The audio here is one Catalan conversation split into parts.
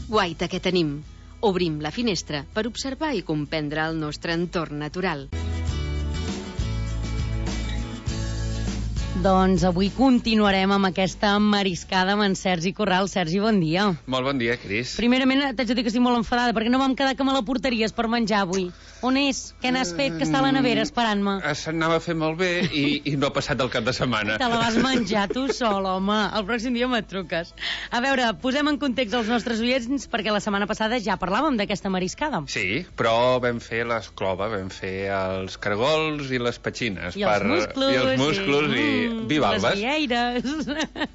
guaita que tenim. Obrim la finestra per observar i comprendre el nostre entorn natural. Doncs avui continuarem amb aquesta mariscada amb en Sergi Corral. Sergi, bon dia. Molt bon dia, Cris. Primerament, t'haig de dir que estic molt enfadada perquè no vam quedar que me la portaries per menjar avui. On és? Què n'has fet? Que està a la nevera esperant-me. S'anava a fer molt bé i no ha passat el cap de setmana. Te la vas menjar tu sol, home. El pròxim dia me truques. A veure, posem en context els nostres oients perquè la setmana passada ja parlàvem d'aquesta mariscada. Sí, però vam fer l'esclova, vam fer els cargols i les petxines. I els musclos. I bivalves. Les vieires.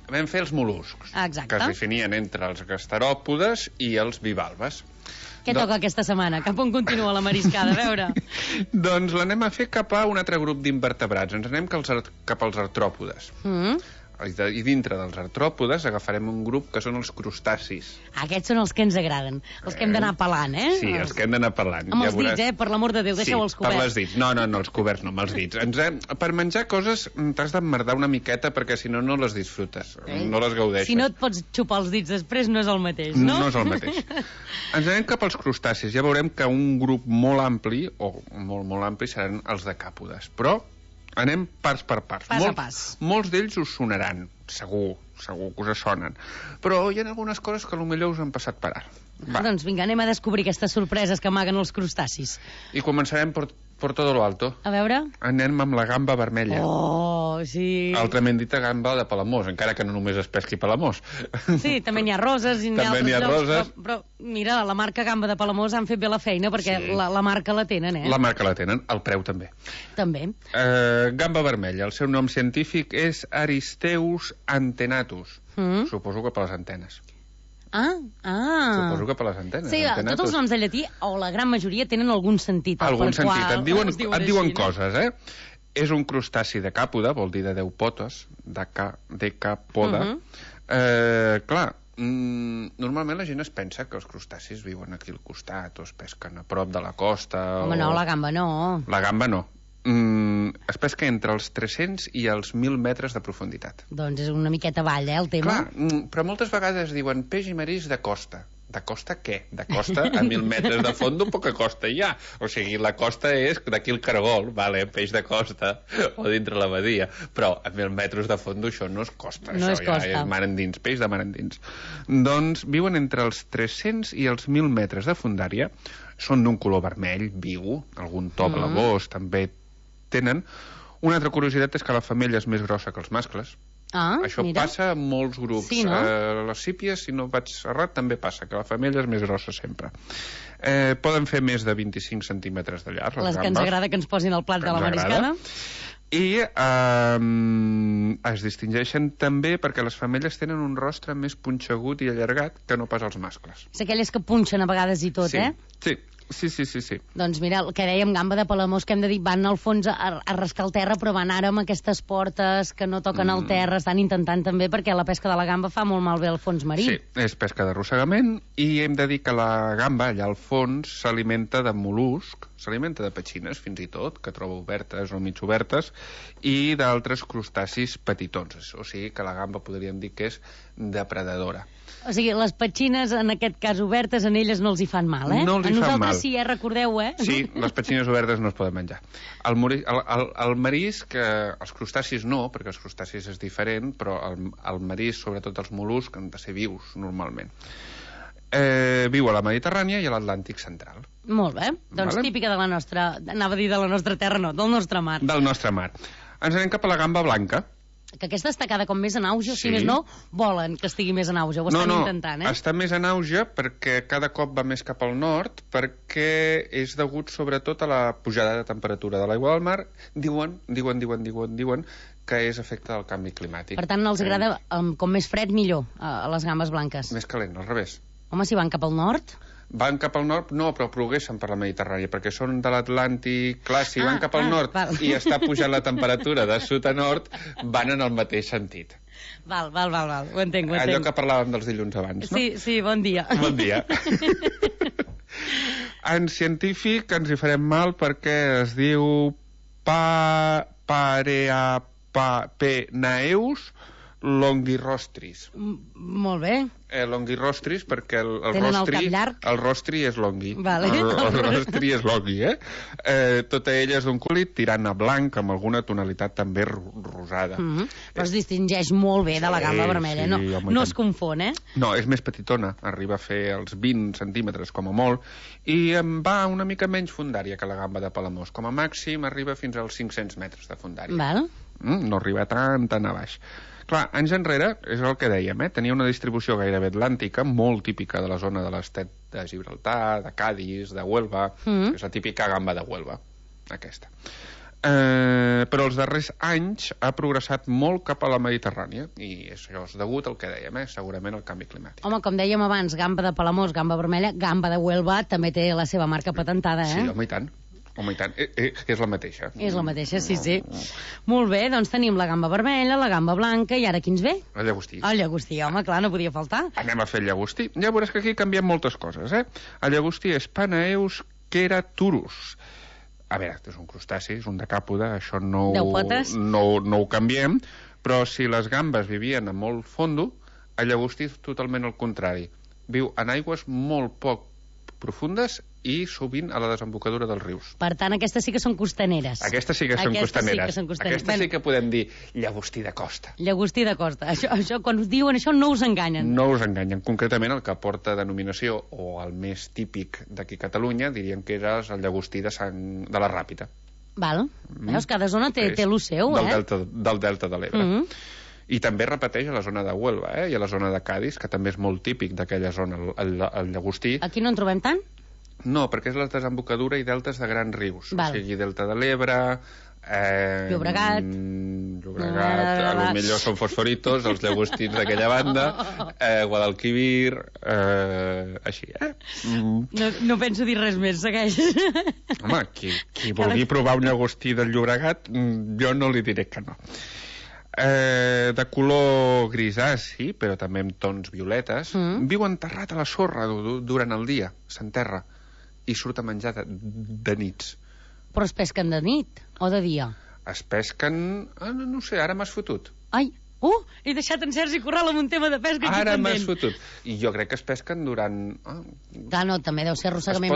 Vam fer els mol·luscs. Exacte. Que es definien entre els gasteròpodes i els bivalves. Què toca aquesta setmana? Cap on continua la mariscada? A veure. Doncs l'anem a fer cap a un altre grup d'invertebrats. Ens anem cap als artròpodes. I dintre dels artròpodes agafarem un grup que són els crustacis. Aquests són els que ens agraden, els que hem d'anar pelant, eh? Sí, els que hem d'anar pelant. Amb els dits, per l'amor de Déu, deixeu-els coberts. Sí, per les dits. No, els coberts no, amb els dits. Per menjar coses t'has d'emmerdar una miqueta perquè si no, no les disfrutes, no les gaudeixes. Si no et pots xupar els dits després, no és el mateix, no? No és el mateix. Ens anem cap als crustacis. Ja veurem que un grup molt ampli, o molt ampli, seran els decàpodes. Però anem pas per parts. Pas a pas. Molts d'ells us sonaran, segur que us sonen. Però hi ha algunes coses que potser us han passat per ara. Doncs vinga, anem a descobrir aquestes sorpreses que amaguen els crustacis. I començarem per todo lo alto. A veure? Anem amb la gamba vermella. Oh, sí. Altrament dita gamba de Palamós, encara que no només es pesqui Palamós. Sí, també n'hi ha roses i n'hi ha altres llocs. Però mira, la marca Gamba de Palamós han fet bé la feina perquè la marca la tenen, eh? La marca la tenen, el preu també. També. Gamba vermella, el seu nom científic és Aristeus antenatus. Suposo que per les antenes. Suposo que per les antenes. Sí, tots els noms de llatí, o la gran majoria, tenen algun sentit. Algun sentit. Et diuen coses, eh? És un crustaci decàpode, vol dir de 10 potes, decàpode. Clar, normalment la gent es pensa que els crustacis viuen aquí al costat o es pesquen a prop de la costa. Home, no, la gamba no. La gamba no. Es pesca entre els 300 i els 1.000 metres de profunditat. Doncs és una miqueta avall, el tema. Clar, però moltes vegades diuen peix i marisc de costa. De costa què? De costa a 1.000 metres de fondo poca costa hi ha. O sigui, la costa és d'aquí el cargol, vale, peix de costa, o dintre la badia. Però a 1.000 metres de fondo això no és costa. No això és costa. Ja és mar endins, peix de mar endins. Doncs viuen entre els 300 i els 1.000 metres de fondària. Són d'un color vermell, viu, algun to blavós també tenen. Una altra curiositat és que la femella és més grossa que els mascles. Això passa en molts grups. Sí, no? Les sípies, si no vaig errat, també passa, que la femella és més grossa sempre. Poden fer més de 25 centímetres de llarg, les que ens agrada que ens posin al plat de la mariscada. I es distingeixen també perquè les femelles tenen un rostre més punxegut i allargat que no pas els mascles. És aquelles que punxen a vegades i tot, eh? Sí. Doncs mira, el que dèiem, gamba de Palamós, que hem de dir, van al fons a rascar el terra, però van ara amb aquestes portes que no toquen el terra, estan intentant també, perquè la pesca de la gamba fa molt malbé al fons marí. Sí, és pesca d'arrossegament, i hem de dir que la gamba, allà al fons, s'alimenta de mol·lusc, s'alimenta de petxines, fins i tot, que troba obertes o mig obertes, i d'altres crustacis petitons. O sigui que la gamba podríem dir que és depredadora. O sigui, les petxines, en aquest cas obertes, en elles no els hi fan mal, eh? No els hi fan mal. A nosaltres sí, recordeu, eh? Sí, les petxines obertes no es poden menjar. El marisc, els crustacis no, perquè els crustacis és diferent, però el marisc, sobretot els mol·luscs, han de ser vius, normalment. Viu a la Mediterrània i a l'Atlàntic central. Molt bé, doncs típica de la nostra, anava a dir de la nostra terra, no, del nostre mar. Del nostre mar. Ens anem cap a la gamba blanca. Que aquesta està cada cop més en auge, si més no, volen que estigui més en auge, ho estan intentant, eh? Està més en auge perquè cada cop va més cap al nord, perquè és degut sobretot a la pujada de temperatura de l'aigua del mar. Diuen que és efecte del canvi climàtic. Per tant, els agrada com més fred millor, a les gambes blanques. Més calent, al revés. Home, si van cap al nord... Van cap al nord, no, però progressen per la Mediterrània, perquè són de l'Atlàntic. Clar, si van cap al nord i està pujant la temperatura de sud a nord, van en el mateix sentit. Val, ho entenc. Allò que parlàvem dels dilluns abans, no? Sí, bon dia. Bon dia. En científic ens hi farem mal perquè es diu Pareapenaeus longirostris. Molt bé. Longirostris, perquè el Tenen rostri... el cap llarg? El rostri és longhi. Vale. El rostri és longhi, tota ella és d'un color tirant a blanc, amb alguna tonalitat també rosada. Però es distingeix molt bé de la gamba vermella. Sí, no es confon, No, és més petitona. Arriba a fer els 20 centímetres, com a molt, i em va una mica menys fundària que la gamba de Palamós. Com a màxim arriba fins als 500 metres de fundària. Val. No arriba tan a baix. Clar, anys enrere, és el que dèiem, tenia una distribució gairebé atlàntica, molt típica de la zona de l'Estret de Gibraltar, de Cádiz, de Huelva, és la típica gamba de Huelva, aquesta. Però els darrers anys ha progressat molt cap a la Mediterrània, i això és degut al que dèiem, segurament al canvi climàtic. Home, com dèiem abans, gamba de Palamós, gamba vermella, gamba de Huelva també té la seva marca patentada, Sí, home, i tant. Home, i tant, és la mateixa. És la mateixa, sí. Molt bé, doncs tenim la gamba vermella, la gamba blanca, i ara qui ens ve? El llagostí. El llagostí, home, clar, no podia faltar. Anem a fer el llagostí. Ja veuràs que aquí canviem moltes coses, El llagostí és Panaeus keraturus. A veure, és un crustaci, és un decàpode, això no ho canviem, però si les gambes vivien a molt fondo, el llagostí és totalment el contrari. Viu en aigües molt poc profundes i sovint a la desembocadura dels rius. Per tant, aquestes sí que són costaneres. Aquestes sí que són costaneres. Aquestes sí que podem dir llagostí de costa. Llagostí de costa. Això, quan us diuen això, no us enganyen. No us enganyen. Concretament, el que porta denominació, o el més típic d'aquí a Catalunya, diríem que era el llagostí de la Ràpita. Val. Veus, cada zona té el seu, del delta de l'Ebre. I també repeteix a la zona de Huelva, i a la zona de Cádiz, que també és molt típic d'aquella zona, el llagostí. Aquí no en trobem tant? No, perquè és la desembocadura i deltes de grans rius. Val. O sigui, delta de l'Ebre... Llobregat, a lo millor són fosforitos, els llagostins d'aquella banda, Guadalquivir, així, No penso dir res més, segueix. Home, qui vulgui provar un llagostí del Llobregat, jo no li diré que no. De color grisaci, però també amb tons violetes, viu enterrat a la sorra durant el dia, s'enterra, i surt a menjar de nits. Però es pesquen de nit o de dia? Es pesquen... no sé, ara m'has fotut. Ai, he deixat en Sergi Corral amb un tema de pesca aquí ara pendent. M'has fotut. I jo crec que es pesquen durant... Clar, no, també deu ser arrossegament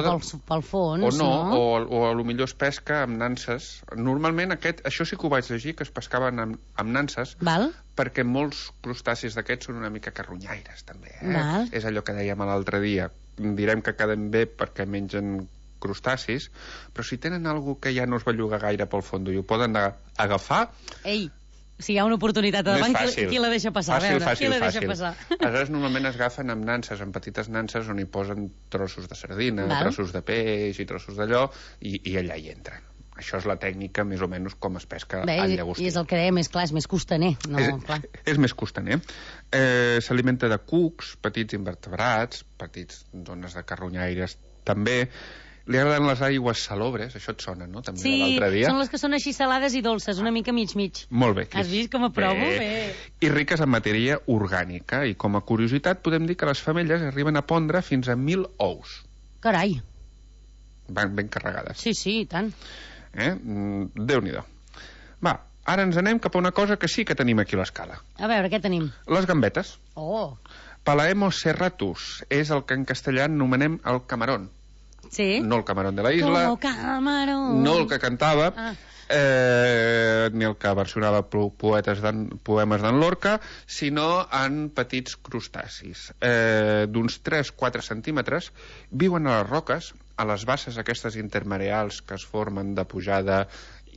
pel fons, no? O a lo millor es pesca amb nanses. Normalment això sí que ho vaig llegir, que es pescaven amb nanses, val? Perquè molts crustacis d'aquests són una mica carronyaires, també. Val. És allò que dèiem l'altre dia. Direm que queden bé perquè mengen crustacis, però si tenen alguna que ja no es belluga gaire pel fons i ho poden agafar... Ei, si hi ha una oportunitat davant, qui la deixa passar? Fàcil. Passar? Aleshores, normalment es agafen amb nanses, amb petites nanses, on hi posen trossos de sardina, trossos de peix i trossos d'allò, i allà hi entren. Això és la tècnica, més o menys, com es pesca el llagostí. I és el que dèiem, és clar, és més costaner. És més costaner. S'alimenta de cucs, petits invertebrats, petits zones de carronyaires, també. Li agraden les aigües salobres, això et sona, no? També l'altre dia. Són les que són així salades i dolces, una mica mig. Molt bé, Cris. Has vist com aprovo? Bé. I riques en matèria orgànica. I com a curiositat podem dir que les femelles arriben a pondre fins a 1.000 ous. Carai. Van ben carregades. Sí, i tant. Déu-n'hi-do. Va, ara ens anem cap a una cosa que sí que tenim aquí a l'escala. A veure, què tenim? Les gambetes. Palaemos serratus és el que en castellà anomenem el camarón. Sí. No el camarón de la isla, no el que cantava, ni el que versionava poemes d'en Lorca, sinó en petits crustacis. D'uns 3-4 centímetres, viuen a les roques, a les basses aquestes intermareals que es formen de pujada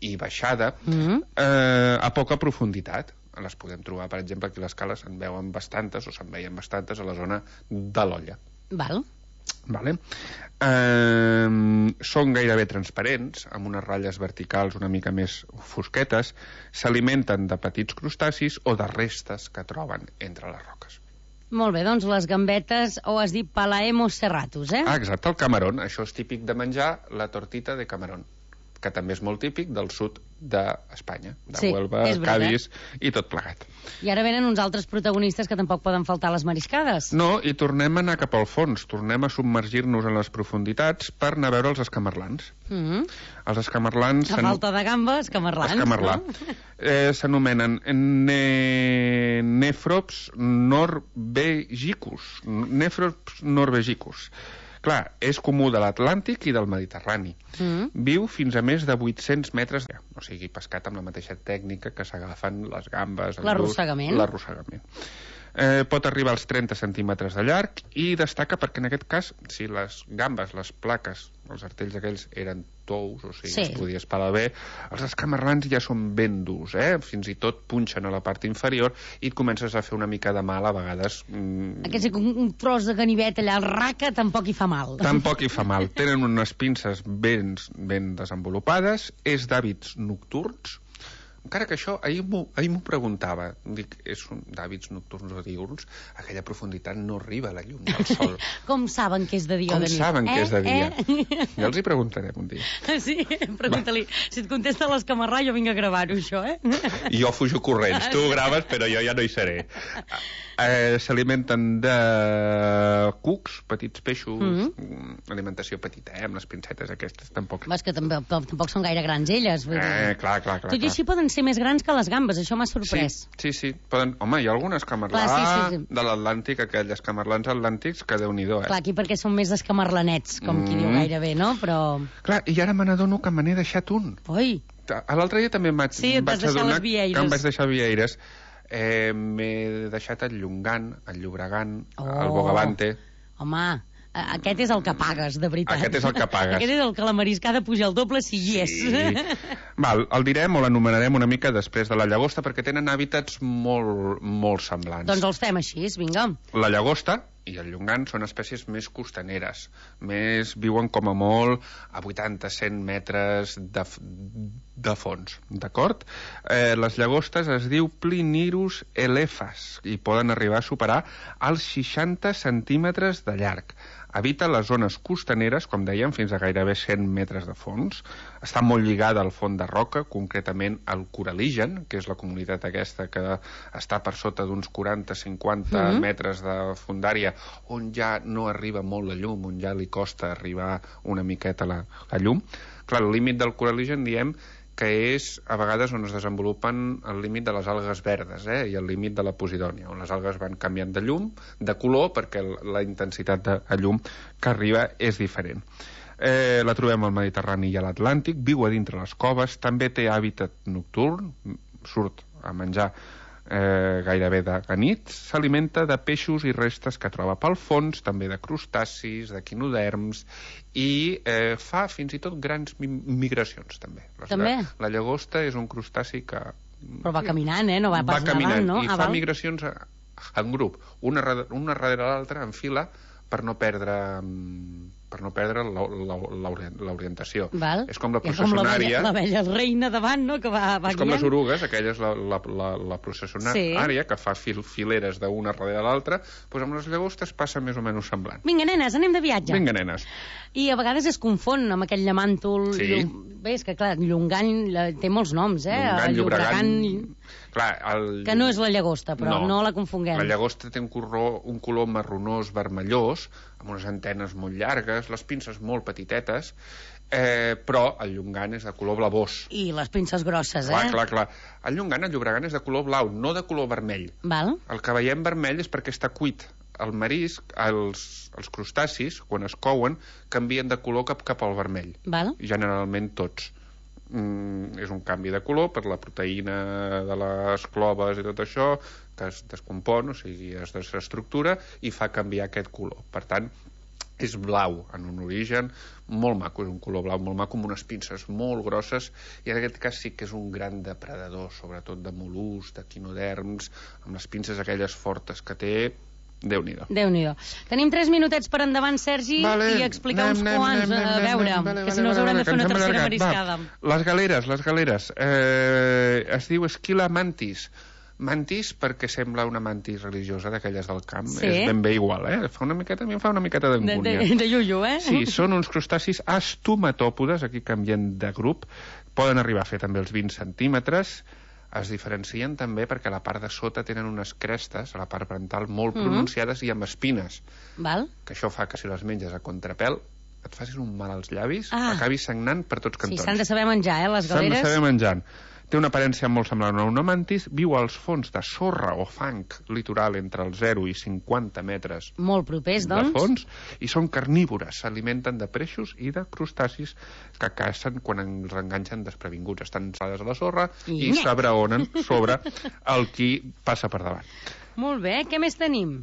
i baixada, a poca profunditat. Les podem trobar, per exemple, aquí a l'escala se'n veien bastantes, o se'n veien bastantes a la zona de l'Olla. Val. Vale. Són gairebé transparents, amb unes ratlles verticals una mica més fosquetes, s'alimenten de petits crustacis o de restes que troben entre les roques. Molt bé, doncs les gambetes, o has dit Palaemos serratus, exacte, el camarón. Això és típic de menjar la tortita de camarón. que també és molt típic del sud d'Espanya, de Sí, Huelva, és veritat. Cádiz i tot plegat. I ara venen uns altres protagonistes que tampoc poden faltar a les mariscades. No, i tornem a anar cap al fons, tornem a submergir-nos en les profunditats per anar a veure els escamarlans. Els escamarlans... A falta de gamba, escamarlans. Escamarlà. No? S'anomenen nefrops norvegicus. Nefrops norvegicus. Clar, és comú de l'Atlàntic i del Mediterrani. Viu fins a més de 800 metres, o sigui, pescat amb la mateixa tècnica que s'agafen les gambes. L'arrossegament. L'arrossegament. Pot arribar als 30 centímetres de llarg i destaca perquè en aquest cas, si les gambes, les plaques, els artells aquells eren tous, o sigui, es podia espalar bé, els escamarlans ja són ben durs, fins i tot punxen a la part inferior i et comences a fer una mica de mal a vegades. Aquest un tros de ganivet allà al raca tampoc hi fa mal. Tampoc hi fa mal. Tenen unes pinces ben desenvolupades, és d'hàbits nocturns, encara que això, ahir m'ho preguntava, dic, és d'hàbits nocturns o diürns, aquella profunditat no arriba a la llum del sol. Com saben que és de dia o de nit? Com saben que és de dia? Ja els hi preguntarem un dia. Sí, pregunta-li. Si et contesta l'escamarrà, jo vinc a gravar-ho, això, Jo fujo corrents. Tu graves, però jo ja no hi seré. S'alimenten de cucs, petits peixos, alimentació petita, amb les pincetes aquestes, tampoc. Vas que tampoc són gaire grans elles. Clar. Tot i així poden ser més grans que les gambes, això m'ha sorprès. Sí. Home, hi ha algun escamarlà de l'Atlàntic, aquells escamarlans atlàntics, que Déu-n'hi-do, Clar, aquí perquè són més escamarlanets, com qui diu gairebé, no? Però... Clar, i ara me n'adono que me n'he deixat un. Oi! L'altre dia també vaig adonar que em vaig deixar vieires. M'he deixat el Llongan, el Llobregan, el Bogavante. Home, aquest és el que pagues, de veritat. Aquest és el que pagues. Aquest és el que la mariscada puja el doble si hi és. Val, el direm o l'anomenarem una mica després de la llagosta, perquè tenen hàbitats molt semblants. Doncs els fem així, vinga. La llagosta i el llongan són espècies més costaneres, viuen com a molt a 80-100 metres de fons, d'acord? Les llagostes es diu Plinirus elephas i poden arribar a superar els 60 centímetres de llarg. Habita les zones costaneres, com dèiem, fins a gairebé 100 metres de fons. Està molt lligada al fons de roca, concretament al coraligen, que és la comunitat aquesta que està per sota d'uns 40-50 metres de fondària, on ja no arriba molt la llum, on ja li costa arribar una miqueta la llum. Clar, el límit del coraligen, diem, que és a vegades on es desenvolupen el límit de les algues verdes i el límit de la posidònia, on les algues van canviant de llum, de color, perquè la intensitat de llum que arriba és diferent. La trobem al Mediterrani i a l'Atlàntic, viu a dintre les coves, també té hàbitat nocturn, surt a menjar gairebé de nit, s'alimenta de peixos i restes que troba pel fons, també de crustacis, de quinoderms, i fa fins i tot grans migracions, també. La llagosta és un crustaci que... Però va caminant, no va pas caminant, nedant, no? I fa migracions en grup, una darrere l'altra, en fila, per no perdre l'orientació. És com la processionària... L'abella reina davant, no?, que va és com les orugues, aquella és la processionària, que fa fileres d'una darrere l'altra, doncs amb les llagostes passa més o menys semblant. Vinga, nenes, anem de viatge. Vinga, nenes. I a vegades es confon amb aquell llamàntol... Sí. Bé, és que, clar, Llongan té molts noms, Llongan, Llobregan... Que no és la llagosta, però no la confonguem. La llagosta té un color marronós vermellós, amb unes antenes molt llargues, les pinces molt petitetes, però el Llongan és de color blavós. I les pinces grosses, Clar. El Llongan, el Llobregan, és de color blau, no de color vermell. Val. El que veiem vermell és perquè està cuit. El marisc, els crustacis, quan es couen, canvien de color cap al vermell. Val. Generalment tots. És un canvi de color per la proteïna de les cloves i tot això, que es descompon, o sigui, es desestructura i fa canviar aquest color. Per tant, és blau en un origen, molt maco, és un color blau molt maco, amb unes pinces molt grosses, i en aquest cas sí que és un gran depredador, sobretot de mol·luscs, de quinoderms, amb les pinces aquelles fortes que té. Déu-n'hi-do. Tenim 3 minutets per endavant, Sergi, i explicar uns quants, a veure, que si no us haurem de fer una tercera mariscada. Les galeres. Es diu Esquila mantis, Mantis perquè sembla una mantis religiosa d'aquelles del camp. Sí. És ben bé igual, a mi em fa una miqueta d'angúnia. De iuiu, Sí, són uns crustacis estomatòpodes, aquí canvien de grup, poden arribar a fer també els 20 centímetres, es diferencien també perquè a la part de sota tenen unes crestes, a la part parental, molt pronunciades i amb espines. Val? Que això fa que si les menges a contrapèl et facis un mal als llavis, acabis sagnant per tots cantons. Sí, s'han de saber menjar, les galeres. S'han de saber menjant. Té una aparència molt semblant a una mantis, viu als fons de sorra o fang litoral entre el 0 i 50 metres molt propers, doncs. De fons, i són carnívores, s'alimenten de peixos i de crustacis que cacen quan els enganxen desprevinguts. Estan salades a la sorra i s'abraonen sobre el qui passa per davant. Molt bé, què més tenim?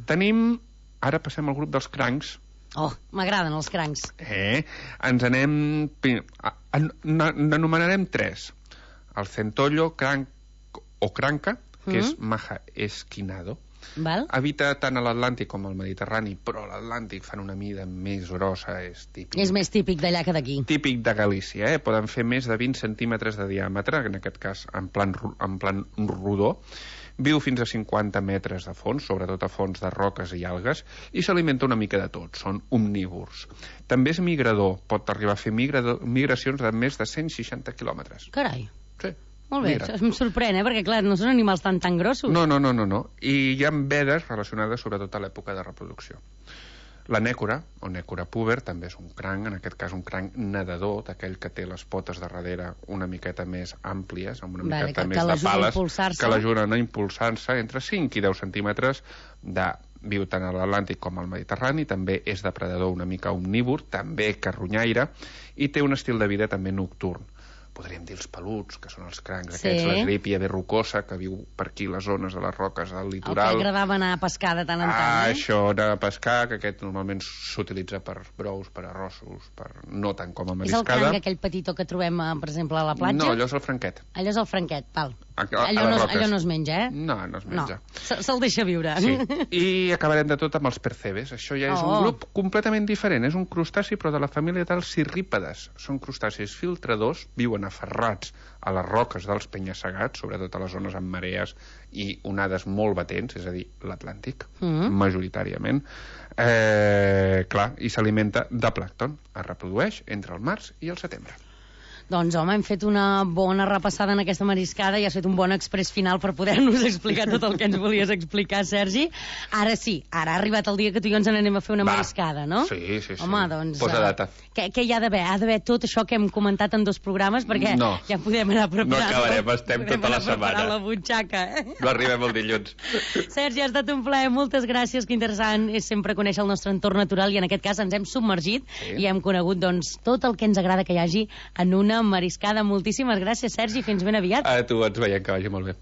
Ara passem al grup dels crancs. Oh, m'agraden els crancs. Ens anem... N'anomenarem 3. El centollo, cranc o cranca, que és maja esquinado. Val. Habita tant a l'Atlàntic com al Mediterrani, però a l'Atlàntic fan una mida més grossa, és típic. És més típic d'allà que d'aquí. Típic de Galícia, Poden fer més de 20 centímetres de diàmetre, en aquest cas en plan rodó. Viu fins a 50 metres de fons, sobretot a fons de roques i algues, i s'alimenta una mica de tot, són omnívors. També és migrador, pot arribar a fer migracions de més de 160 quilòmetres. Carai. Sí. Molt bé, em sorprèn, perquè clar, no són animals tan grossos. No. I hi ha vedes relacionades sobretot a l'època de reproducció. La nècora, o nècora púber, també és un cranc, en aquest cas un cranc nedador, d'aquell que té les potes de darrere una miqueta més àmplies, amb una miqueta més de pales, que l'ajuden a impulsar-se entre 5 i 10 centímetres viu tant a l'Atlàntic com al Mediterrani, també és depredador una mica omnívor, també carronyaire, i té un estil de vida també nocturn. Podríem dir els peluts, que són els crancs aquests, l'esgrípia verrucosa, que viu per aquí les zones de les roques del litoral. El que agradava anar a pescar de tant en tant, Això, anar a pescar, que aquest normalment s'utilitza per brous, per arrossos, no tant com a mariscada. És el cranc aquell petitó que trobem, per exemple, a la platja? No, allò és el franquet. Allò és el franquet, val. Allò no es menja, No, no es menja. Se'l deixa viure. Sí. I acabarem de tot amb els percebes. Això ja és un grup completament diferent. És un crustaci, però de la família dels cirrípedes. Són crustacis filtradors, viuen aferrats a les roques dels penya-segats, sobretot a les zones amb marees i onades molt batents, és a dir, l'Atlàntic, majoritàriament. Clar, i s'alimenta de plàncton. Es reprodueix entre el març i el setembre. Doncs, home, hem fet una bona repassada en aquesta mariscada i has fet un bon exprés final per poder-nos explicar tot el que ens volies explicar, Sergi. Ara sí, ara ha arribat el dia que tu i jo ens n'anem a fer una mariscada, no? Sí. Home, doncs... Posa data. Què hi ha d'haver? Ha d'haver tot això que hem comentat en 2 programes, perquè ja podem anar preparant... No acabarem, estem tota la setmana. La butxaca, No arribem el dilluns. Sergi, ha estat un plaer, moltes gràcies, que interessant és sempre conèixer el nostre entorn natural i en aquest cas ens hem submergit i hem conegut doncs, tot el que ens agrada que hi hagi en una mariscada. Moltíssimes gràcies, Sergi, fins ben aviat. A tu, ens veiem, que vagi molt bé.